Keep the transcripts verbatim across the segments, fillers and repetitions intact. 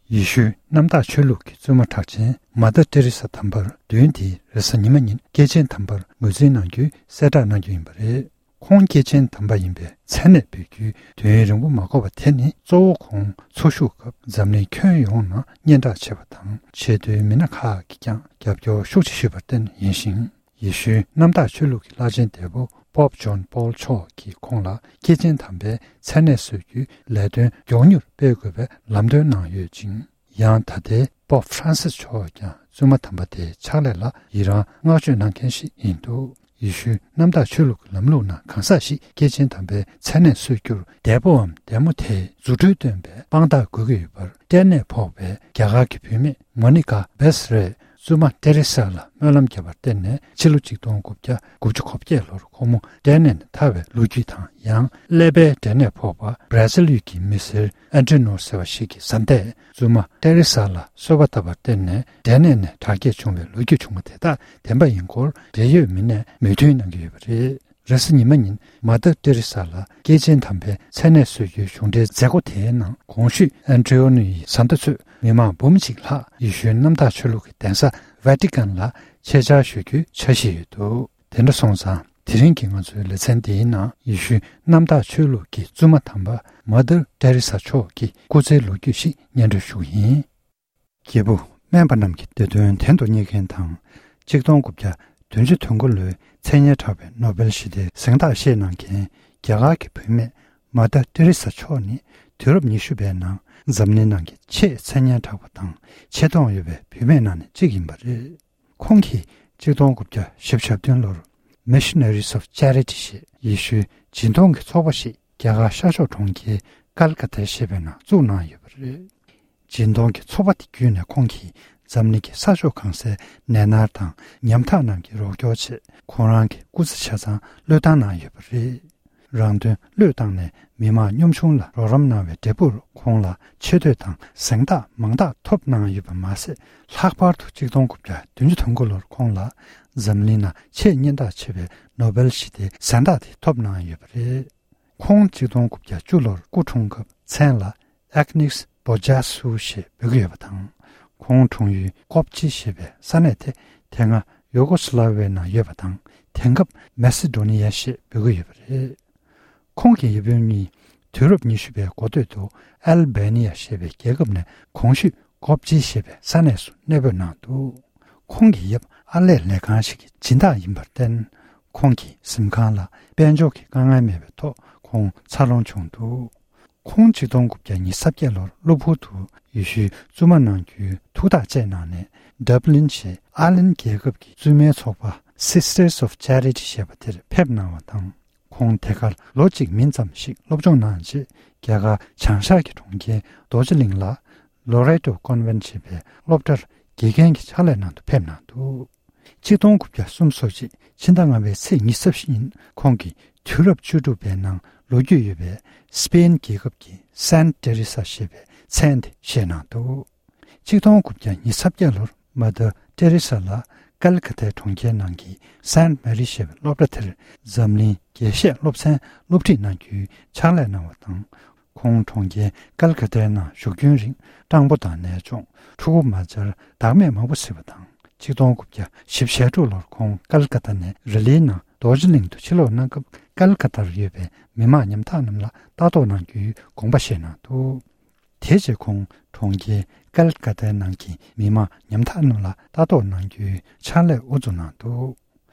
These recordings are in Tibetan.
ཡེ་ཤུའི་གནམ་བདག་ཆོས་ལུགས་ཀྱི་བཙུན་མ་གྲགས་ཅན་མ་ཏར་ཏེ་རེ་ས་དམ་པར་བདུན་དེ་རེས་གཟའ་ཉི་མ་ཉིན་སྐྱེས་ཆེན་དམ་པར་ངོས་འཛིན་གནང་རྒྱུའི་གསལ་བསྒྲགས་གནང་རྒྱུ་ཡིན་པ་རེད། ཁོང་སྐྱེས་ཆེན་དམ་པ་ཡིན་པའི་མཚན་གནས་འབུལ་རྒྱུའི་དུས་ཡུན་རིང་པོ་མ་འགོར་བ་དེ་ནི་གཙོ་བོ་ཁོང་འཚོ་བཞུགས་སྐབས་འཛམ་གླིང་ཁྱོན་ཡོངས་ནང་སྙན་གྲགས་ཆེ་བ་དང་ཆེས་མཐོའི་མི་སྣ་ཁག་གིས་ཀྱང་རྒྱབ་སྐྱོར་ཤུགས་ཆེ་ཞུས་པར་བརྟེན་ཡིན་ཞིང་། ཡེ་ཤུའི་གནམ་བདག་ཆོས་ལུགས་ཀྱི་བླ་ཆེན་འདས་པོ་པོབ་ཇོན་པོལ་མཆོག་གིས་ཁོང་ལ་སྐྱེས་ཆེན་དམ་པའི་མཚན་གནས་གསོལ་རྒྱུའི་ལས་དོན་མགྱོགས་མྱུར་སྤེལ་དགོས་པའི་ལམ་སྟོན་གནང་ཡོད་ཅིང་། ཡང་ད་ལྟའི་པོབ་ཧྥ་རན་སིས་མཆོག་ཀྱང་བཙུན་མ་དམ་པ་དེའི་ཕྱག་ལས་ལ་ཡི་རང་བསྔགས་བརྗོད་གནང་མཁན་ཞིག་ཡིན་འདུག་ཡེ་ཤུའི་གནམ་བདག་ཆོས་ལུགས་ཀྱི་ལམ་ལུགས་ནང་གང་ཟག་ཞིག་སྐྱེས་ཆེན་དམ་པའི་མཚན་གནས་གསོལ་རྒྱུར་འདས་པོའམ་འདས་མོ་དེས་རྫུ་འཕྲུལ་སྟོན་པའི་དཔང་རྟགས་དགོས་ཀྱི་ཡོད་པར། ལྟེ་གནས་ཕོག་པའི་རྒྱ་གར་གྱི་བུད་མེད་མོ་ནི་ཀ་བེས་རས་བཙུན་མ་ཏེ་རེ་ས་ལ་སྨོན་ལམ་བརྒྱབ་པར་བརྟེན་ནས་ཕྱི་ལོ་ཆིག་སྟོང་དགུ་བརྒྱ་དགུ་བཅུ་གོ་བརྒྱད་ལོར་ཁོ་མོ་ལྟེ་གནས་ནས་ཐར་བའི་ལོ་རྒྱུས་དང་། ཡང་ཀླད་པའི་འབྲས་ནད་ཕོག་པ་བྷ་ར་ཟིལ་ཡུལ་གྱི་མི་སེར་ཨན་ཏྲི་ནོ་ཟེར་བ་ཞིག་གི་བཟའ་ཟླས་བཙུན་མ་ཏེ་རེ་ས་ལ་གསོལ་བ་བཏབ་པར་བརྟེན་ནས་འབྲས་ནད་ནས་དྲག་སྐྱེད་བྱུང་བའི་ལོ་རྒྱུས་བྱུང་བ་དེ་དག་བདེན་པ་ཡིན་སྐོར་འབྲེལ་ཡོད་མི་སྣས་མོས་མཐུན་གནང་གི་ཡོད་པ་རེད། རེས་གཟའ་ཉི་མ་ཉིན་མ་ཏར་ཏེ་རེ་ས་ལ་སྐྱེས་ཆེན་དམ་པའི་མཚན་གནས་གསོལ་རྒྱུའི་གཞུང་འབྲེལ་མཛད་སྒོ་དེའི་ནང་གོང་ཞུས་ཨན་ཏྲི་ཨོ་ནི་ཡི་བཟའ་ཟླ་ཚོས་མི་མང་འབུམ་གཅིག་ལྷག་ཡེ་ཤུའི་གནམ་བདག་ཆོས་ལུགས་ཀྱི་གདན་ས་ཝེ་ཏི་ཀན་ལ་ཆེད་བཅར་ཞུ་རྒྱུའི་འཆར་གཞི་ཡོད་འདུག་དེ་འདྲ་སོང་ཙང་དེ་རིང་གི་ང་ཚོའི་ལེ་ཚན་འདིའི་ནང་ཡེ་ཤུའི་གནམ་བདག་ཆོས་ལུགས་ཀྱི་བཙུན་མ་དམ་པ་མ་ཏར་ཏེ་རེ་ས་མཆོག་གི་སྐུ་ཚེའི་ལོ་རྒྱུས་ཤིག་སྙན་སྒྲོན་ཞུ་གི་ཡིན། སྐྱེས་བུ་སྨན་པ་རྣམས་ཀྱི་བདེ་དོན་དོན་དུ་གཉེར་མཁན་དང་། ཆིག་སྟོང་དགུ་བརྒྱ་བདུན་ཅུ་དོན་དགུ་ལོའི་མཚན་སྙན་གྲགས་པའི་ནོ་བེལ་ཞི་བདེའི་གཟེངས་རྟགས་བཞེས་གནང་མཁན་རྒྱ་གར་གྱི་བུད་མེད་མ་ཏར་ཏེ་རེ་ས་མཆོག་ནི་དུས་རབས་ཉི་ཤུ་པའི་ནང་འཛམ་གླིང་ནང་གི་ཆེས་མཚན་སྙན་གྲགས་པ་དང་ཆེ་མཐོང་ཡོད་པའི་བུད་མེད་ནང་ནས་གཅིག་ཡིན་པ་རེད། ཁོང་གིས་ཆིག་སྟོང་དགུ་བརྒྱ་བཞི་བཅུ་ཞེ་བདུན་ལོར་Missionaries of Charity ཞེས་ཡེ་ཤུའི་སྦྱིན་གཏོང་གི་ཚོགས་པ་ཞིག་རྒྱ་གར་ཤར་ཕྱོགས་གྲོང་ཁྱེར་ཀལ་ཀ་ཏའི་ཞེས་པའི་ནང་བཙུགས་གནང་ཡོད་པ་རེད། སྦྱིན་གཏོང་གི་ཚོགས་པ་དེ་བརྒྱུད་ནས་ཁོང་གིས་འཛམ་གླིང་གི་ས་ཕྱོགས་གང་སའི་ནད་མནར་དང་ཉམ་ཐག་རྣམས་ཀྱི་རོགས་སྐྱོར་ཆེད་ཁོང་རང་གི་སྐུ་ཚེ་ཆ་ཚང་བློས་བཏང་གནང་ཡོད་པ་རེད། རང་དོན་བློས་བཏང་ནས་མི་མང་གཉོམ་ཆུང་ལ་རོགས་རམ་གནང་བའི་འབྲས་བུར་ཁོང་ལ་ཆེ་བསྟོད་དང་གཟེངས་རྟགས་མང་དག་ཐོབ་གནང་ཡོད་པ་མ་ཟད། ལྷག་པར་དུ་ཆིག་སྟོང་དགུ་བརྒྱ་བདུན་ཅུ་དོན་དགུ་ལོར་ཁོང་ལ་འཛམ་གླིང་ནང་ཆེས་སྙན་གྲགས་ཆེ་བའི་ནོ་བེལ་ཞི་བདེའི་གཟེངས་རྟགས་དེ་ཐོབ་གནང་ཡོད་པ་རེད། ཁོང་ཆིག་སྟོང་དགུ་བརྒྱ་བཅུ་ལོར་སྐུ་འཁྲུངས་སྐབས་མཚན་ལ་ཨེག་ནིགས་བོ་ཇཱ་སུ་ཞེས་འབོད་ཀྱི་ཡོད་པ་དང་། ཁོང་འཁྲུངས་ཡུལ་ཀོབ་ཅི་ཞེས་པའི་ས་གནས་དེ་དེ་སྔ་ཡུ་གོ་སི་ལ་ཝི་ཡའི་ནང་ཡོད་པ་དང་། དེང་སྐབས་མེ་སི་ཌོ་ནི་ཡ་ཞེས་འབོད་ཀྱི་ཡོད་པ་རེད། ཁོང་གི་ཡབ་ཡུམ་གཉིས་དུས་རབས་ཉི་ཤུ་པའི་འགོ་སྟོད་དུ་ཨལ་བེ་ནི་ཡ་ཞེས་པའི་རྒྱལ་ཁབ་ནས་གོང་ཞུས་ཀོབ་ཅི་ཞེས་པའི་ས་གནས་སུ་གནས་སྤོས་གནང་འདུག་ཁོང་གི་ཡབ་ཨར་ལས་ལས་ཁང་ཞིག་གི་སྦྱིན་བདག་ཡིན་པར་བརྟེན། ཁོང་གི་གཟིམ་ཁང་ལ་དཔལ་འབྱོར་གྱི་དཀའ་ངལ་མེད་པའི་ཐོག་ཁོང་འཚར་ལོངས་བྱུང་འདུག་ཁོང་ཆིག་སྟོང་དགུ་བརྒྱ་ཉི་ཤུ་རྩ་བརྒྱད་ལོར་གློ་བུར་དུ་ཡེ་ཤུའི་བཙུན་མ་གནང་རྒྱུའི་ཐུགས་ཐག་བཅད་གནང་ནས། ཌབ་ལིན་ཞེས་ཨར་ལན་རྒྱལ་ཁབ་ཀྱི་བཙུན་མའི་ཚོགས་པ་Sisters of Charity ཞེས་པ་དེར་ཕེབས་གནང་བ་དང་། ཁོང་དེ་གར་ལོ་གཅིག་མིན་ཙམ་ཞིག་སློབ་སྦྱོང་གནང་རྗེས། རྒྱ་གར་བྱང་ཤར་གྱི་གྲོང་ཁྱེར་རྡོ་རྗེ་གླིང་ལ་ལོ་རེ་ཏོ་ཀོན་ཝེན་ཊི་ཞེས་པའི་སློབ་གྲྭར་དགེ་རྒན་གྱི་ཕྱག་ལས་གནང་དུ་ཕེབས་གནང་འདུག་ཆིག་སྟོང་དགུ་བརྒྱ་སུམ་ཅུ་སོ་གཅིག་ཕྱི་ཟླ་ལྔ་པའི་ཚེས་ཉི་ཤུ་རྩ་བཞི་ཉིན་ཁོང་གིས་དུས་རབས་བཅུ་དྲུག་པའི་ནང་ལོ་རྒྱུས་ཡོད་པའི་སྤེན་རྒྱལ་ཁབ་ཀྱི་སན་ཏེ་རེ་ས་ཞེས་པའི་མཚན་དེ་བཞེས་གནང་འདུག་ཆིག་སྟོང་དགུ་བརྒྱ་ཉི་ཤུ་རྩ་བརྒྱད་ལོར་མ་ཏར་ཏེ་རེ་ས་ལ་ཀལ་ཀ་ཏའི་གྲོང་ཁྱེར་ནང་གི་སན་མེ་རི་ཞེས་པའི་སློབ་གྲྭ་དེར་འཛམ་གླིང་རྒྱས་བཤད་སློབ་ཚན་སློབ་ཁྲིད་གནང་རྒྱུའི་ཕྱག་ལས་གནང་བ་དང་། ཁོང་གྲོང་ཁྱེར་ཀལ་ཀ་ཏའི་ནང་བཞུགས་རྒྱུན་རིང་སྤྲང་པོ་དང་ནད་གཅོང་། ཕྲུ་གུ་མ་བཅར་བདག་མེད་མང་པོ་གཟིགས་པ་དང་། ཆིག་སྟོང་དགུ་བརྒྱ་བཞི་བཅུ་ཞེ་དྲུག་ལོར་ཁོང་ཀལ་ཀ་ཏ་ནས་རི་ལིའི་ནང་རྡོ་རྗེ་གླིང་དུ་ཕྱིར་ལོག་གནང་སྐབས། ཀལ་ཀ་ཏར་ཡོད་པའི་མི་མང་ཉམ་ཐག་རྣམས་ལ་ལྟ་རྟོག་གནང་རྒྱུའི་དགོངས་པ་བཞེས་གནང་འདུག་དེ་རྗེས་ཁོང་གྲོང་ཁྱེར་ཀལ་ཀ་ཏའི་ནང་གི་མི་མང་ཉམ་ཐག་རྣམས་ལ་ལྟ་རྟོག་གནང་རྒྱུའི་ཕྱག་ལས་དབུ་འཛུགས་གནང་འདུག་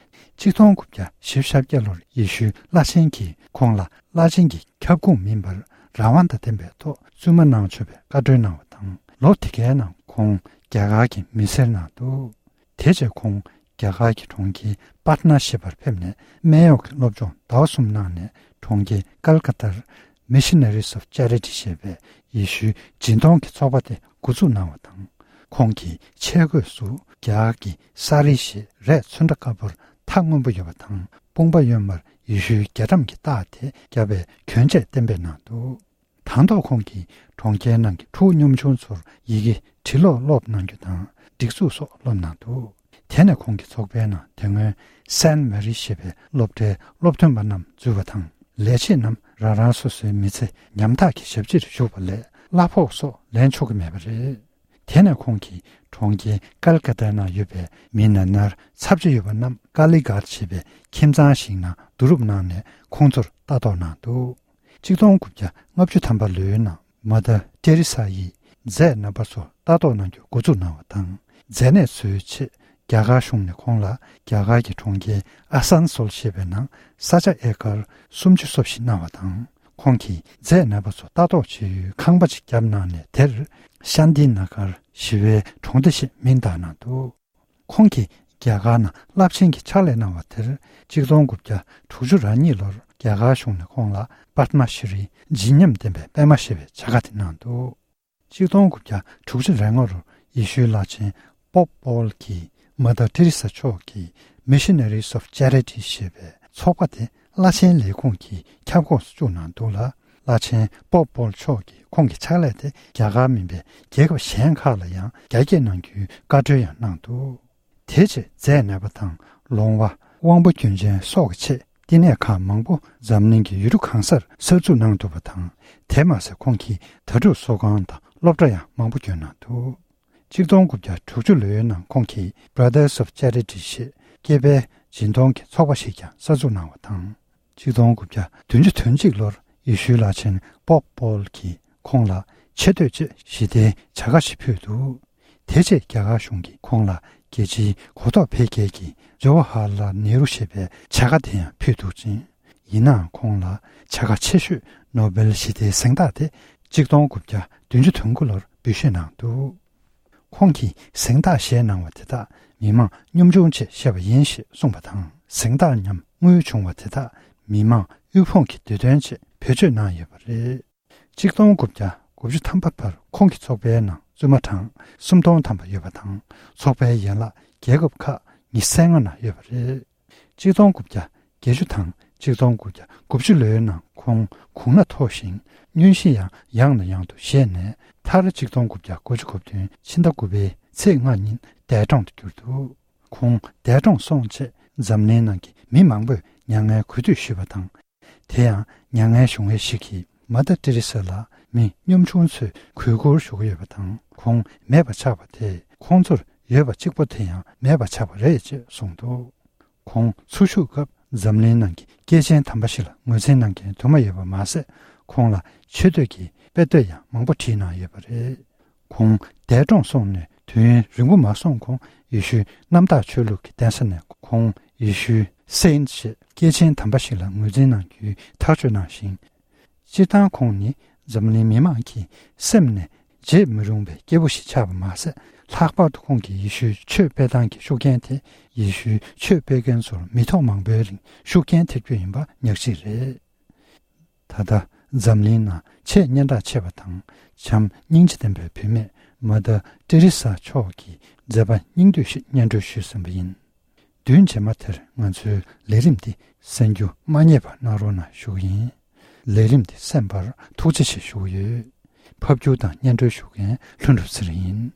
ཆིག་སྟོང་དགུ་བརྒྱ་བཞི་བཅུ་ཞེ་བརྒྱད་ལོར་ཡེ་ཤུའི་བླ་ཆེན་གྱིས་ཁོང་ལ་བླ་ཆེན་གྱི་ཁྱབ་ཁོངས་མིན་པར་རང་དབང་དང་ལྡན་པའི་ཐོག་བཙུན་མ་གནང་ཆོག་པའི་བཀའ་འཁྲོལ་གནང་བ་དང་། ལོ་དེ་གའི་ནང་ཁོང་རྒྱ་གར་གྱི་མི་སེར་གནང་འདུག་དེ་རྗེས་ཁོང་རྒྱ་གར་གྱི་གྲོང་ཁྱེར་པཱ་ཊ་ན་ཞེས་པར་ཕེབས་ནས། སྨན་གཡོག་གི་སློབ་སྦྱོང་ཟླ་བ་གསུམ་གནང་ནས། གྲོང་ཁྱེར་ཀལ་ཀ་ཏར་Missionaries of Charity ཞེས་པའི་ཡེ་ཤུའི་སྦྱིན་གཏོང་གི་ཚོགས་པ་དེ་འགོ་འཛུགས་གནང་བ་དང་། ཁོང་གི་ཆས་གོས་སུ་རྒྱ་གར་གྱི་སཱ་རི་ཞེས་རས་ཚོན་ཁྲ་དཀར་པོར་མཐའ་སྔོན་པོ་ཡོད་པ་དང་། དཔུང་པ་གཡོན་མར་ཡེ་ཤུའི་རྒྱ་གྲམ་གྱི་རྟགས་དེ་བརྒྱབ་པའི་གྱོན་ཆས་གཏན་འབེབས་གནང་འདུག་དང་ཐོག་ཁོང་གིས་གྲོང་ཁྱེར་ནང་གི་ཕྲུ་གུ་གཉོམ་ཆུང་ཚོར་ཡི་གེ་འབྲི་ཀློག་སློབ་གནང་རྒྱུ་དང་། སྒྲིག་འཛུགས་སོགས་སློབ་གནང་འདུག་དེ་ནས་ཁོང་གི་ཚོགས་པའི་ནང་དེ་སྔོན་སན་མེ་རི་ཞེས་པའི་སློབ་གྲྭའི་སློབ་ཐོན་པ་རྣམས་འཛུལ་བ་དང་། ལས་བྱེད་རྣམས་རང་རང་སོ་སོའི་མི་ཚེ་ཉམ་ཐག་གི་ཞབས་ཕྱིར་ཞུགས་པ་ལས་གླ་ཕོགས་སོགས་ལེན་ཆོག་གི་མེད་པ་རེད། དེ་ནས་ཁོང་གིས་གྲོང་ཁྱེར་ཀལ་ཀ་ཏའི་ནང་ཡོད་པའི་མི་ན་ནར་ཚབས་ཆེ་ཡོད་པ་རྣམས་ཀ་ལི་གྷར་ཞེས་པའི་ཁྱིམ་ཚང་ཞིག་ནང་བསྡུ་རུབ་གནང་ནས་ཁོང་ཚོར་ལྟ་རྟོག་གནང་འདུག། ཆིག་སྟོང་དགུ་བརྒྱ་ལྔ་བཅུ་ཐམ་པ་ལོའི་ནང་མ་ཏར་ཏེ་རི་ས་ཡིས་མཛད་རྣམ་པ་ཚོ་ལྟ་རྟོག་གནང་རྒྱུ་འགོ་འཛུགས་གནང་བ་དང་། མཛད་གནས་འཚོལ་ཆེད་རྒྱ་གར་གཞུང་ནས་ཁོང་ལ་རྒྱ་གར་གྱི་གྲོང་ཁྱེར་ཨ་སན་སོལ་ཞེས་པའི་ནང་ས་ཆ་ཨེ་ཀར་སུམ་ཅུ་སོ་བཞི་གནང་བ་དང་། ཁོང་གིས་མཛད་རྣམ་པ་ཚོ་ལྟ་རྟོག་བྱེད་ཡུལ་ཁང་པ་ཅིག་བརྒྱབ་གནང་ནས། དེར་ཤཱན་ཏི་ན་གར་ཞི་བའི་གྲོང་སྡེ་ཞེས་མིང་བཏགས་གནང་འདུག། ཁོང་གིས་རྒྱ་གར་ནང་རླབས་ཆེན་གྱི་ཕྱག་ལས་གནང་བ་དེར་ཆིག་སྟོང་དགུ་བརྒྱ་དྲུག་ཅུ་རེ་གཉིས་ལོར་རྒྱ་གར་གཞུང་ནས་ཁོང་ལ་པདྨ་ཤྲི་བརྗིད་ཉམས་ལྡན་པའི་པདྨ་ཞེས་པའི་བྱ་དགའ་དེ་གནང་འདུག། ཆིག་སྟོང་དགུ་བརྒྱ་དྲུག་ཅུ་རེ་ལྔ་ལོར་ཡེ་ཤུའི་བླ་ཆེན་པོབ་པོལ་གྱིས་མ་ཏར་ཏེ་རི་ས་མཆོག་གི་Missionaries of Charity ཞེས་པའི་ཚོགས་པ་དེ་བླ་ཆེན་ལས་ཁུངས་ཀྱི་ཁྱབ་ཁོངས་སུ་བཅུག་གནང་འདུག་ལ། བླ་ཆེན་པོབ་པོལ་མཆོག་གིས་ཁོང་གི་ཕྱག་ལས་དེ་རྒྱ་གར་མིན་པའི་རྒྱལ་ཁབ་གཞན་ཁག་ལ་ཡང་རྒྱ་སྐྱེད་གནང་རྒྱུའི་བཀའ་འཁྲོལ་ཡང་གནང་འདུག། དེ་རྗེས་མཛད་གནས་པ་དང་ལོང་བ། དབང་པོ་སྐྱོན་ཅན་སོགས་ཀྱི་ཆེད་བསྟི་གནས་ཁག་མང་པོ་འཛམ་གླིང་གི་ཡུལ་གྲུ་གང་སར་གསར་འཛུགས་གནང་འདུག་པ་དང་། དེ་མ་ཟད་ཁོང་གིས་དྭ་ཕྲུག་གསོ་ཁང་དང་སློབ་གྲྭ་ཡང་མང་པོ་བསྐྱོན་གནང་འདུག། ཆིག་སྟོང་དགུ་བརྒྱ་དྲུག་ཅུ་ལོའི་ནང་ཁོང་གིས་Brothers of Charity ཞེས་སྐྱེས་པའི་སྦྱིན་གཏོང་གི་ཚོགས་པ་ཞིག་ཀྱང་གསར་འཛུགས་གནང་བ་དང་། ཆིག་སྟོང་དགུ་བརྒྱ་བདུན་ཅུ་དོན་གཅིག་ལོར་ཡེ་ཤུའི་བླ་ཆེན་པོབ་པོལ་གྱིས་ཁོང་ལ་ཆེ་བསྟོད་ཅེས་ཞི་བདེའི་བྱ་དགའ་ཞིག་ཕུལ་འདུག། དེ་རྗེས་རྒྱ་གར་གཞུང་གིས་ཁོང་ལ་རྒྱལ་སྤྱིའི་གོ་རྟོགས་འཕེལ་རྒྱས་ཀྱི་ཇོ་ཧ་ཧ་ལ་ནེ་རུ་ཞེས་པའི་བྱ་དགའ་དེ་ཡང་ཕུལ་འདུག་ཅིང་། ཡིན་ནའང་ཁོང་ལ་བྱ་དགའ་ཆེ་ཤོས་ནོ་སྦེལ་ཞི་བདེའི་གཟེངས་རྟགས་དེ་ཆིག་སྟོང་དགུ་བརྒྱ་བདུན་ཅུ་དོན་དགུ་ལོར་འབུལ་བཞེས་གནང་འདུག། ཁོང་གིས་གཟེངས་རྟགས་བཞེས་གནང་བ་དེ་དག་མི་མང་གཉོམ་ཆུང་ཆེད་བཞེས་པ་ཡིན་ཞེས་གསུངས་པ་དང་། གཟེངས་རྟགས་ཉམས་དངུལ་བྱུང་བ་དེ་དག་མི་མང་དབུལ་ཕོངས་ཀྱི་བདེ་དོན་ཆེད་བེད་སྤྱོད་གནང་ཡོད་པ་རེད། ཆིག་སྟོང་དགུ་བརྒྱ་དགུ་བཅུ་ཐམ་པ་བར་ཁོང་གི་ཚོགས་པའི་ནང་བཙུན་མ་གྲངས་སུམ་སྟོང་ཐམ་པ་ཡོད་པ་དང་། ཚོགས་པའི་ཡན་ལག་རྒྱལ་ཁབ་ཁག་ཉི་ཤུ་རྩ་ལྔ་ནང་ཡོད་པ་རེད། ཆིག་སྟོང་དགུ་བརྒྱ་བརྒྱད་ཅུ་དང་ཆིག་སྟོང་དགུ་བརྒྱ་དགུ་བཅུ་ལོའི་ནང་ཁོང་དགུང་ན་མཐོ་ཞིང་། སྙུན་གཞི་ཡང་ཡང་ནས་ཡང་དུ་བཞེས་ནས། མཐར་ཆིག་སྟོང་དགུ་བརྒྱ་དགུ་བཅུ་གོ་བདུན་ཕྱི་ཟླ་དགུ་པའི་ཚེས་ལྔ་ཉིན་འདས་གྲོངས་སུ་གྱུར་འདུག། ཁོང་འདས་གྲོངས་སོང་རྗེས་འཛམ་གླིང་ནང་གི་མི་མང་པོས་མྱ་ངན་གུས་འདུད་ཞུས་པ་དང་། དེ་ཡང་མྱ་ངན་གཞུང་བས་ཤིག་གིས་མ་ཏར་ཏེ་རེ་ས་ལ་མི་གཉོམ་ཆུང་ཚོས་གུས་བཀུར་ཞུ་གི་ཡོད་པ་དང་། ཁོང་མེད་པ་ཆགས་པ་དེས་ཁོང་ཚོར་ཡོད་པ་གཅིག་པོ་དེ་ཡང་མེད་པ་ཆགས་པ་རེད་ཅེས་གསུངས་འདུག། ཁོང་འཚོ་བཞུགས་སྐབས་འཛམ་གླིང་ནང་གི་སྐྱེས་ཆེན་དམ་པ་ཞིག་ལ་ངོས་འཛིན་གནང་མཁན་དུ་མ་ཡོད་པ་མ་ཟད། ཁོང་ལ་ཆེ་བསྟོད་ཀྱི་དཔེ་དེབ་ཡང་མང་པོ་བྲིས་གནང་ཡོད་པ་རེད། ཁོང་འདས་གྲོངས་སོང་ནས་དུས་ཡུན་རིང་པོ་མ་སོང་གོང་། ཡེ་ཤུའི་གནམ་བདག་ཆོས་ལུགས་ཀྱི་གདན་ས་ནས་ཁོང་ཡེ་ཤུའི་སེན་ཊི་ཞེས་སྐྱེས་ཆེན་དམ་པ་ཞིག་ལ་ངོས་འཛིན་གནང་རྒྱུའི་ཐག་གཅོད་གནང་ཞིང་། སྤྱིར་བཏང་ཁོང་ནི་འཛམ་གླིང་མི་མང་གི་སེམས་ནས་བརྗེད་མི་རུང་བའི་སྐྱེས་བུ་ཞིག་ཆགས་པ་མ་ཟད། ལྷག་པར་དུ་ཁོང་གིས་ཡེ་ཤུའི་ཆོས་སྤེལ་སྟངས་ཀྱི་ཤུགས་རྐྱེན་དེ་ཡེ་ཤུའི་ཆོས་སྤེལ་མཁན་ཚོར་མི་ཐོག་མང་པོའི་རིང་ཤུགས་རྐྱེན་ཐེབས་རྒྱུ་ཡིན་པ་ཉག་གཅིག་རེད། ད་ལྟ་འཛམ་གླིང་ནང་ཆེས་སྙན་གྲགས་ཆེ་བ་དང་། བྱམས་སྙིང་རྗེ་ལྡན་པའི་བུད་མེད་མ་ཏར་ཏེ་རེ་ས་མཆོག་གི་མཛད་པ་སྙིང་བསྡུས་ཤིག་སྙན་སྒྲོན་ཞུས་ཟིན་པ་ཡིན། བདུན་རྗེས་མ་དེར་ང་ཚོའི་ལས་རིམ་འདི་གསན་རྒྱུ་མ་བསྙེལ་བ་གནང་རོགས་གནང་ཞུ་གི་ཡིན། ལས་རིམ་འདི་གསན་པར་ཐུགས་རྗེ་ཆེ་ཞུ་གི་ཡོད། ཕབ་སྒྱུར་དང་སྙན་སྒྲོན་ཞུ་མཁན་ལྷུན་གྲུབ་ཚེ་རིང་ཡིན།